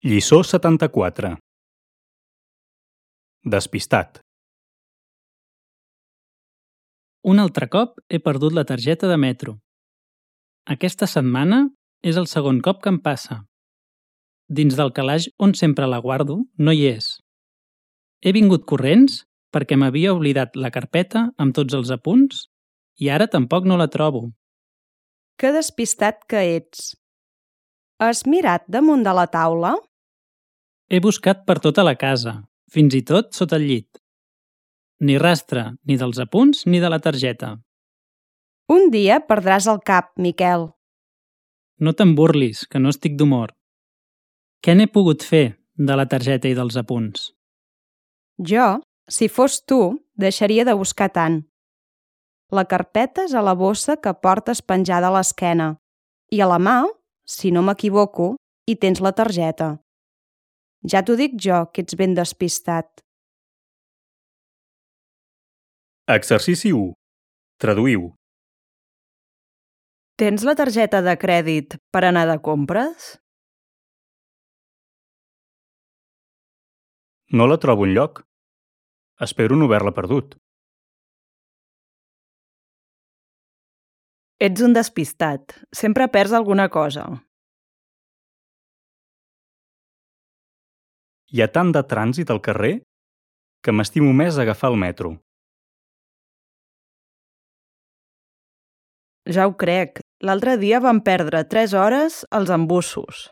Lliçó 74. Despistat. Un altre cop he perdut la targeta de metro. Aquesta setmana és el segon cop que em passa. Dins del calaix on sempre la guardo no hi és. He vingut corrents perquè m'havia oblidat la carpeta amb tots els apunts i ara tampoc no la trobo. Que despistat que ets. Has mirat damunt de la taula? He buscat per tota la casa, fins i tot sota el llit. Ni rastre, ni dels apunts ni de la targeta. Un dia perdràs el cap, Miquel. No te'n burlis, que no estic d'humor. Què n'he pogut fer de la targeta i dels apunts? Jo, si fos tu, deixaria de buscar tant. La carpeta és a la bossa que portes penjada a l'esquena i a la mà, si no m'equivoco, hi tens la targeta. Ja t'ho dic jo, que ets ben despistat. Exercici 1. Traduïu. Tens la targeta de crèdit per anar de compres? No la trobo enlloc. Espero no haver-la perdut. Ets un despistat. Sempre perds alguna cosa. Hi ha tant de trànsit al carrer que m'estimo més agafar el metro. Ja ho crec. L'altre dia vam perdre 3 hores als embussos.